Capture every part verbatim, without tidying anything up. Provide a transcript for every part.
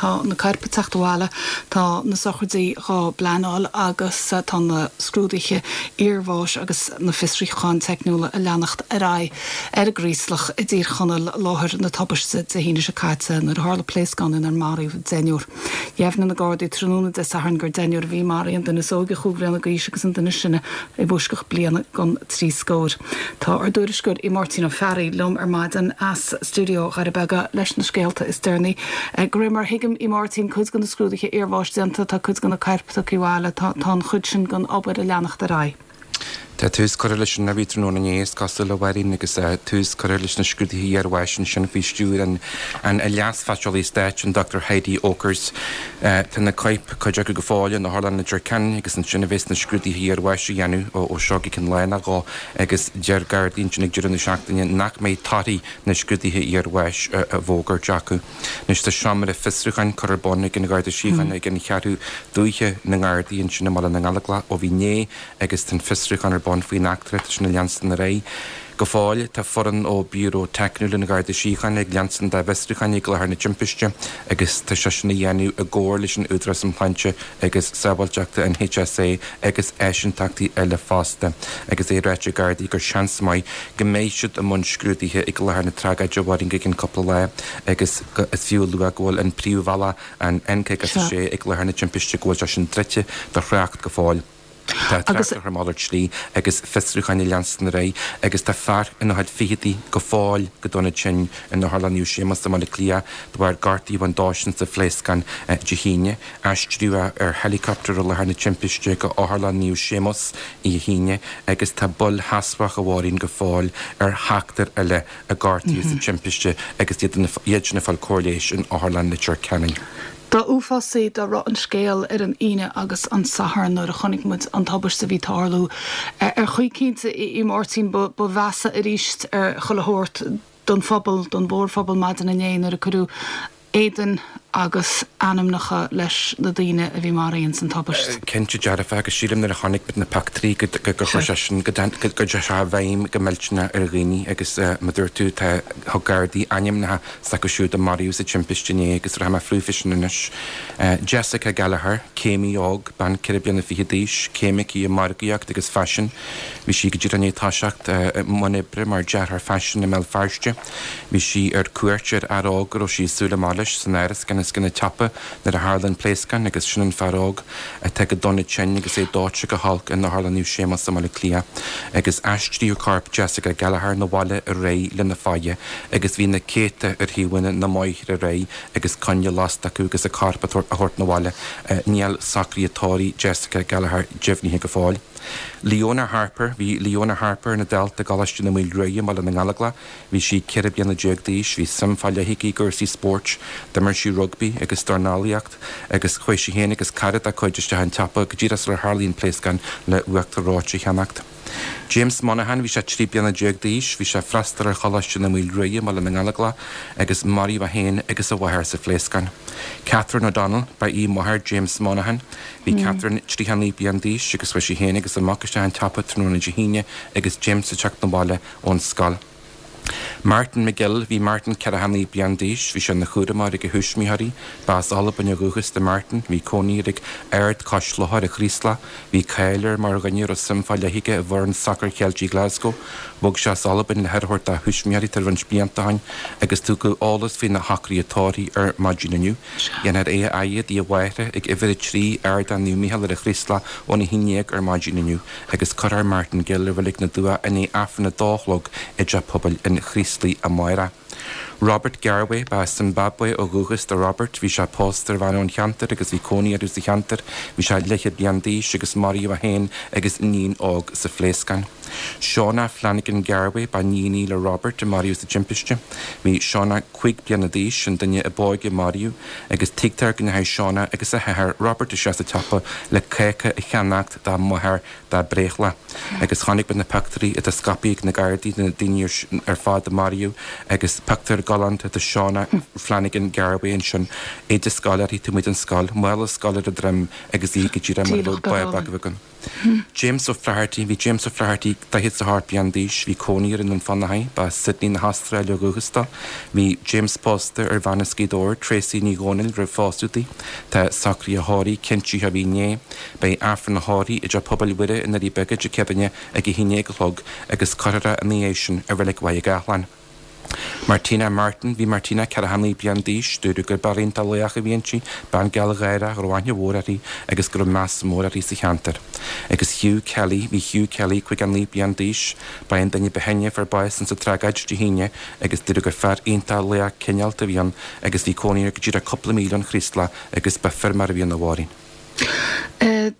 Tá na coirp ag teacht abhaile, tá na sochraidí á bpleanáil agus tá na scrúduithe iarbháis agus na fiosrúcháin teicniúla ag leanacht ar aghaidh ar an gCraoslach i dTír Chonaill, láthair na tubaiste Dé hAoine seo caite nuair a tharla pléascán inar maraíodh deichniúr. Dheimhnigh na Gardaí tráthnóna Dé Sathairn gur deichniúr a bhí maraithe, an duine is óige chúig bhliana d'aois agus an duine is sine i bhfoisceacht bliana gon trí scór. Tá ár dtuairisceoir Máirtín Ó Fearraigh liom ar maidin as stiúideo Dhoirí Beaga leis na scéalta is deireanaí. De réir mar a thuigim, a Mháirtín, cuid de na scrúduithe iarbháis déanta, tá cuid de na coirp tugtha abhaile, tá an chuid sin den obair ag leanacht ar aghaidh. Tá tús curtha leis an bhí tráthnóna inné, is cosúil, a Mháirín, agus tús curtha leis na scrúduithe iarbháis ansin faoi stiúir an an Leas-Phaiteolaí Stáit, an Dochtúir Heidi Oakers. Tá na coirp, cuid acu go fóill in Otharlann Leitir Ceanainn agus ansin a bheas na scrúduithe iarbháis a dhéanamh ó seo go ceann lá nó dhó agus deir Gardaí ansin ag deireadh na seachtaine nach mbeidh torthaí na scrúduithe iarbháis á bhfógairt acu. Anois tá seomra fiosrúcháin curtha ar bun ag an Gharda Síochána ag an Cheathrú Dúiche na nGardaí ansin i mBaile na nGallóglach ó bhí inné agus tá an fiosrúchán ar bun faoin eachtra, tá sin ag leanstan ar aghaidh. Go fóill, tá foireann ó Bhiúró Teicniúil an Gharda Síochána ag leanstan dá bhfiosrúchán ag láthair na timpiste agus tá sé sin á dhéanamh i gcomhar leis an Údarás um Shláinte agus Sábháilteachta, an H S A, agus áisíntachtaí eile fosta agus é ráite ag Gardaí gur seans maith go mbeidh siad i mbun scrúdaithe ag láthair na tragóide, a Mháirín, go ceann cúpla lá agus is fiú a lua go bhfuil an príomhbhealach, an N caoga a sé, ag láthair na timpiste, go bhfuil sé sin druidte do thrácht go fóill. Tá trácht ar mhalairt slí agus fiosrúcháin ag leanstan ar aghaidh agus tá fear ina chuid fichidí go fóill go dona tinn in Otharlann Naomh Séamus i mBaile Átha Cliath de bharr gortaí a bhain dósan sa phléascán Dé hAoine. Aistríodh é ar helicopter ó láthair na timpiste go Otharlann Naomh Séamus Dé hAoine agus tá bail sheasmhach, a Mháirín, go fóill ar sheachtar eile a gortaíodh sa timpiste agus iad sin ag fáil cóir leighis in Otharlann Leitir Ceanainn. Dá uafásaí dá raibh an scéal ar an Aoine agus an Satharn nuair a chonaic muid an tubaiste a bhí ag tarlú, ar chaoi cinnte, a Mháirtín, ba mheasa arís ar chuile shórt don phobal, don mhórphobal maidin inné nuair a cuireadh éadain agus ainmneacha leis na daoine a bhí maraithe san tubaiste. Cinnte dearfa, agus sílim nuair a chonaic muid na pictiúirí go gur chuir sé sin go dté sé i bhfeidhm go millteanach ar dhaoine agus mar dúirt tú, tá thug Gardaí ainmneacha s'acu siúd a maraíodh sa timpiste inné agus rachaidh mé fríofa sin anois. Jessica Gallagher, céimí óg, bean ceithre bliana fiche d'aois, céim aici i margaíocht agus faisean. Bhí sí go díreach i ndiaidh toiseacht i mbun oibre mar dearthóir faisin i mBéal Feirste. Bhí sí ar cuairt ar fhear óg go raibh sí ag súil amach leis san áras gan is gan teapa nuair a tharla an pléascán agus sin an fear óg atá go dona tinn agus é dóite go holc in Otharlann Naomh Séamus i mBaile Átha Cliath agus aistríodh corp Jessica Gallagher 'na bhaile aréir lena faire agus bhí na céadta ar thaobhanna na mbóithre aréir agus coinnle lasta acu agus a corp a thabhairt 'na bhaile. Níl socruithe tórraimh Jessica Gallagher deimhnithe go fóill. Leona Harper. Bhí Leona Harper ina dalta i gColáiste na Maoile Ruaidh i mBaile na nGallóglach. Bhí sí ceithre bliana déag d'aois. Bhí suim fá leith aici i gcúrsaí spóirt. D'imir sí rugbaí agus dornálaíocht agus chuaigh sí féin agus cara dá cuid isteach an tsiopa go díreach sular tharlaigh an pléascán le uachtar reoite a cheannacht. James Monaghan. Bhí sé trí bliana déag d'aois. Bhí sé ag freastal ar Choláiste na Maoile Ruaidh i mBaile na nGallóglach agus maraíodh é féin agus a mháthair sa phléascán. Catherine O'Donnell ba í máthair James Monaghan. Bhí Catherine tríocha naoi bliain d'aois agus chuaigh sí féin agus a mac isteach an tsiopa tráthnóna Dé hAoine agus James ag teacht 'na bhaile ón scoil. Martin McGill. Bhí Martin ceathracha naoi bliain d'aois. Bhí sé ina chúramóir ag a thuismitheoirí. B'as Albain ó dhúchas do Martin. Bhí cónaí air ag Ard Cois Locha ar an Chraoslach. Bhí cáil air mar dhuine a raibh suim fá leith aige i bhfoireann sacair Cheiltigh Glasgow. Bhog sé as Albain le haire a thabhairt dá thuismitheoirí tar roinnt blianta ó shin agus tugadh eolas faoina shocruithe tórraimh ar maidin inniu. Dhéanfar é a fhaire i dtigh a mháthara ag uimhir a trí Ardán Naomh Mícheál ar an Chraoslach óna haon déag ar maidin inniu agus cuirfear Martin Gill i Reilig na dTuath i ndiaidh Aifreann a dó a chlog i dteach pobail an Chraoslaigh amárach. Robert Garway. Ba Zimbabwe ó dhúchas do Robert. Bhí sé pósta ar bhean ón cheantar agus bhí cónaí orthu sa cheantar. Bhí sé leathchéad bliain d'aois agus maraíodh é féin agus iníon óg sa phléascán. Shauna Flanagan Garway ba iníon í le Robert a maraíodh sa timpiste. Bhí Shauna cúig bliana d'aois, an duine ab óige a maraíodh, agus tuigtear go ndeachaigh Shauna agus a hathair Robert isteach sa tsiopa le cáca a cheannacht dá máthair dá breithlá. Agus chonaic muid na pictiúirí atá scaipthe ag na Gardaí de na daoine ar fad a maraíodh agus pictiúr galánta de Shauna Flanagan Garway ansin, éide scoile uirthi, taobh amuigh den scoil, mála scoile ar a droim agus í go díreach mar a bheadh bábach againn. James O'Flaherty. Bhí James O'Flaherty daichead is a hocht bliain d'aois, bhí cónaí air i nDún Fionnachaidh, ba as Sydney na hAstráile ó dhúchas dó. Bhí James pósta ar bhean as Gaoth Dobhair, Tracey Ní Dhomhnaill, roimh phósadh di. Tá socruithe a thórraimh cinntithe a bhí inné. Beidh Aifreann a thórraimh i dTeach Pobail Mhuire i nDoirí Beaga Dé Céadaoine ag a haon déag a chlog agus cuirfear é ina dhiaidh sin i Reilig Mhaigh Gáthlán. Martina Martin, Bhí Martina ceathracha naoi bliain d'aois, dúradh gur bean iontach lách a bhí inti, bean gealgháireach a raibh aithne mhór uirthi agus go raibh meas mór uirthi sa cheantar. Agus Hugh Kelly, Bhí Hugh Kelly caoga naoi bliain d'aois, ba é an duine ba shine a fuair bás insa tragóid Dé hAoine agus dúradh gur fear iontach lách cineálta a bhí ann agus bhí cónaí air go díreach cúpla míle ón Chraoslach agus ba feirmeoir a bhí ann a Mháirín.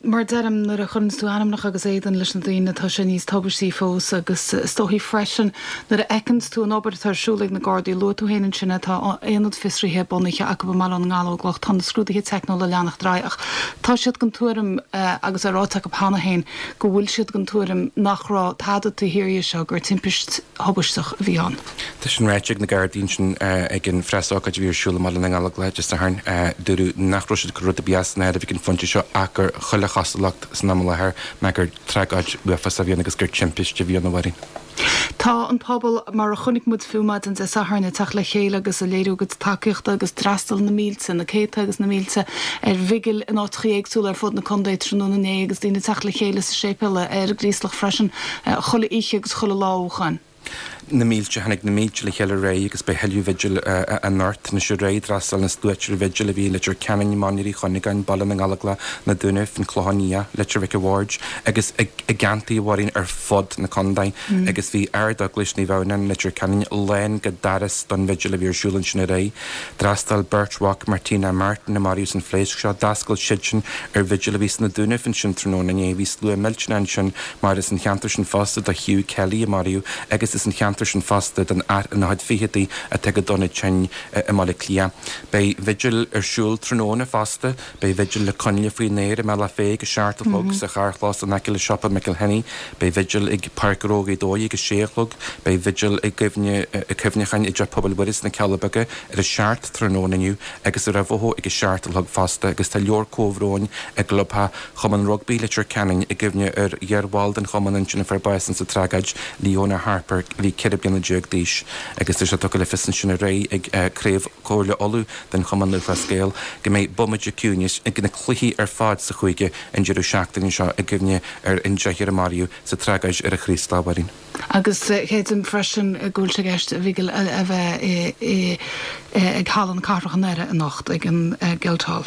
Mar a deirim, nuair a chuireanns tú ainmneacha agus éadan leis na daoine, tá sé níos tubaistí fós agus is dóichí freisin nuair a fheiceanns tú an obair atá ar siúl ag na Gardaí, luaigh tú féin ansin é, tá aonad fiosraithe bunaithe acu i mBaile na nGallóglach, tá na scrúduithe teicniúla ag leanacht ar aghaidh ach tá siad den tuairim, agus é ráite acu cheana féin, go bhfuil siad den tuairim nach raibh tada taobh thiar dhe seo, gur timpist thubaisteach a bhí ann. Tá sin ráite ag na Gardaí ansin ag an phreasócáid a bhí ar siúl i mBaile na nGallóglach Dé Sathairn. Dúradh nach raibh siad ag cur rud ar bith as an áireamh ag an phointe seo ach gur chuile chosúlacht san am i láthair ná gur tragóid uafásach a bhí ann agus gur timpiste a bhí ann, a Mháirín. Tá an pobal, mar a chonaic muid fiú maidin Dé Sathairn, ag teacht le chéile agus ag léiriú a gcuid tacaíochta agus d'fhreastail na mílte, na céadta agus na mílte ar bhigil in áiteachaí éagsúla ar fud na contae tráthnóna inné agus daoine ag teacht le chéile sa séipéal ar an gCraoslach freisin chuile oíche agus chuile lá ó shoin. Na mílte, tháinig na mílte le chéile aréir agus beidh tuilleadh vigil anocht. Anois aréir d'fhreastail na sluaite ar bhigil a bhí i Leitir Ceanainn, Mainír Uí Chuinneagáin, Baile na nGallóglach, Na Dúnaibh, An Clochán Liath, Leitir Mhic a' Bhaird agus i gceantair a Mháirín ar fud na contae agus bhí Ard-Eaglais Naomh Adhamhnáin, Leitir Ceanainn lán go doras don bhigil a bhí ar siúl ansin aréir. D'fhreastail beirt mhac Martina Martin a maraíodh san phléasc seo, d'fhreastail siadsan ar bhigil a bhí sna Dúnaibh ansin tráthnóna inné. Bhí slua millteanach ansin mar is an cheantar sin fosta do Hugh Kelly a maraíodh agus is an cheantar sin fosta don fhear ina chuid ficheadaí atá go dona tinn i mBaile Átha Cliath. Beidh vigil ar siúl tráthnóna fosta. Beidh vigil le coinnle faoin aer i mBealach Féich ag a seacht a chlog sa charrchlós in aice le siopa McElhinney. Beidh vigil ag Páirc Ghnó Ghaoth Dobhair ag a sé a chlog. Beidh vigil i gcuimhne cuimhneacháin i dTeach Pobail Mhuire sna Cealla Beaga ar a seacht tráthnóna inniu agus i Ráth Bhoth ag a seacht a chlog fosta agus tá leabhar comhbhróin i gclubtheach Chumann Rugbaí Leitir Ceanainn i gcuimhne ar iarbhall den chumann ansin a fuair bás insa tragóid, Leona Harper, a bhí ceithre bliana déag d'aois agus tá sé tugtha le fios ansin aréir ag Craobh Chomhairle Uladh den Chumann Lúthchleas Gael go mbeidh bomaite ciúinis ag na cluichí ar fad sa chúige an deireadh seachtaine seo i gcuimhne ar an deichniúr a maraíodh sa tragóid ar an Chraoslach, a Mháirín. Agus creidim freisin go bhfuil sé i gceist vigil a bheith ag Halla na Cathrach i nDoire anocht ag an Guildhall.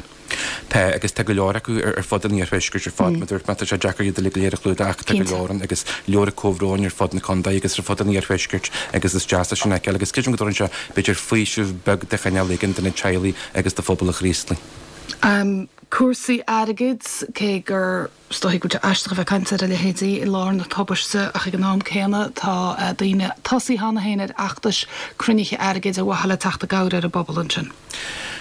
Tá, agus tá go leor acu ar fud an iarthuaiscirt ar fad. Mar a dúirt mé, tá sé deacair iad uilig go léir a chlúdach ach tá go leor ann agus leabhra comhbhróin ar fud na contae agus ar fud an iarthuaiscirt agus is deas é sin a fheiceáil agus creidim go dtabharann sé b'fhéidir faoiseamh beag de chineál éigin do na teaghlaigh agus do phobal an Chraoslaigh. Cúrsaí airgid, cé gur Is dóichí go bhfuil sé aisteach a bheith ag caint ar a leithéidí i lár na tubaiste ach ag an am céanna tá daoine tosaithe cheana féin ar fheachtais cruinnithe airgid ar mhaithe le teacht i gcabhair ar an bpobal ansin.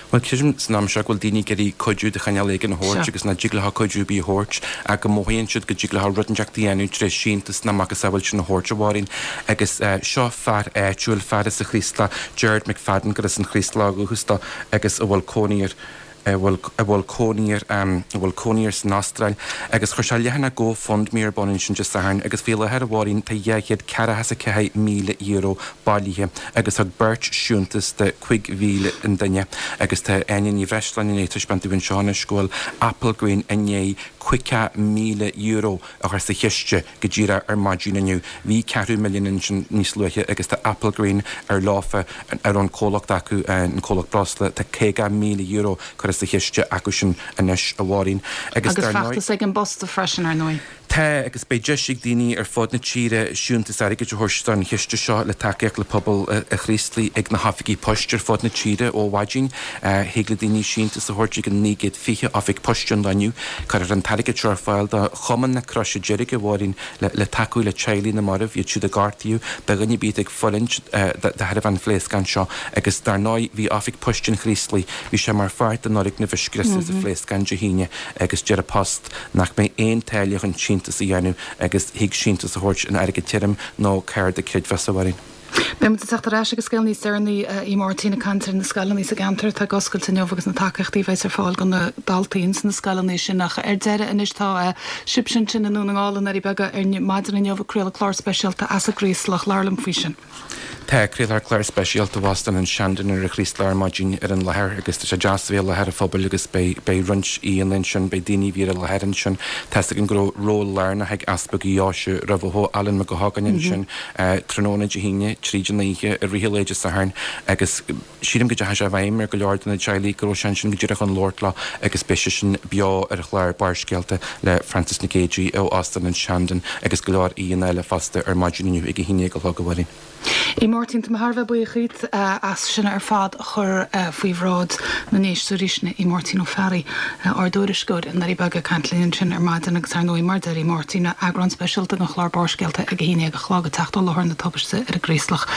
Bhuel, creidim san am seo go bhfuil daoine ag iarraidh cuidiú de chineál éigin a thabhairt agus nach dtig leo cuidiú ar bith a thabhairt ach go mothaíonn siad go dtig leo rud inteacht a dhéanamh tré síntiús nó a macasamhail sin a thabhairt, a Mháirín. Agus seo fear áitiúil, fear as an Chraoslach, Gerard McFadden, gur as an Chraoslach ó dhúchas dó agus a bhfuil cónaí air, a bhfuil a bhfuil cónaí air a bhfuil cónaí air san Astráil agus chuir sé leathanach GoFundMe ar bun ansin Dé Sathairn agus faoi láthair a Mháirín tá dhá chéad ceathracha is a ceathair míle euro bailithe agus thug beirt siúntas de cúig mhíle an duine agus tá Áine Ní Bhreisleáin i ndiaidh taispeáint dúinn anseo anois go bhfuil Applegreen i ndiaidh caoga míle euro a chur sa chiste go díreach ar maidin inniu. Bhí ceathrú milliún ansin níos luaithe agus tá Applegreen ar leofa ar an comhlacht acu, an comhlacht breosla, tá caoga míle euro curtha sa chiste acu sin anois, a Mháirín. Agus dar ndóigh. Agus feachtas ag an bPost freisin, ar ndóigh. Tá, agus beidh deis ag daoine ar fud na tíre siúntas airgid a thabhairt don chiste seo le tacaíocht le pobal an Chraoslaigh ag na hoifigí poist ar fud na tíre ó mhaidin. Thig le daoine síntiús a thabhairt ag an naoi gcéad fiche oifig poist an lá inniu. Cuirfear an t-airgead seo ar fáil do Chumann na Croise Deirge, a Mháirín, le tacú le teaghlaigh na marbh, iad siúd a gortaíodh, do dhuine ar bith atá ag fulaingt de thairbhe an phléascáin seo. Agus dar ndóigh, bhí Oifig Poist an Chraoslaigh, bhí sé mar pháirt den fhoirgneamh a scriosadh sa phléascán Dé hAoine agus deir an Post nach mbeidh aon táille chun síntiús a dhéanamh agus thig síntiús a thabhairt in airgead tirim nó cárta creidmheasa, a Mháirín. Beidh muid ag teacht ar ais agus scéal níos deireanaí a Mháirtín ag caint ar na scoileanna sa gceantar atá ag oscailt inniu agus na tacaíochtaí a bheas ar fáil do na daltaí ins na scoileanna sin ach ar deireadh anois tá sibhse ansin i nDún na nGall i nDoirí Beaga ar maidin inniu ag craoladh clár speisialta as an gCraoslach labhair liom faoi sin. Tá craolfar clár speisialta ó Óstán an Shandon ar an Chraoslach ar maidin ar an láthair agus tá sé deas a bheith i láthair an phobail agus beidh beidh roinnt aíonna ansin, beidh daoine a bhí ar an láthair ansin. Tá's againn go raibh ról lárnach ag Easpag an Deoise roimhe seo, Alan Mac Gabhann ansin tráthnóna Dé hAoine, tríd an oíche, i rith an lae Dé Sathairn agus sílim go dteachaigh sé i bhfeidhm ar go leor de na teaghlaigh go raibh sé ansin go díreach chun labhairt leo agus beidh sé sin beo ar chlár Barrscéalta le Francis Nic Géadaigh ó Óstán an Shandon agus go leor aíonna eile fosta ar maidin inniu ag a haon déag a chlog a Mháirín. A Mháirtín tá mé thar a bheith buíoch díot as sin ar fad a chur faoi bhráid na n-éisteoirí sin é Máirtín Ó Fearraigh ár dtuairisceoir i nDoirí Beaga ag caint linn ansin ar maidin agus ar ndóigh mar a deir Máirtín eagrán speisialta den chlár Barrscéalta ag a haon déag a chlog ag teacht ó láthair na tubaiste ar an gCraoslach.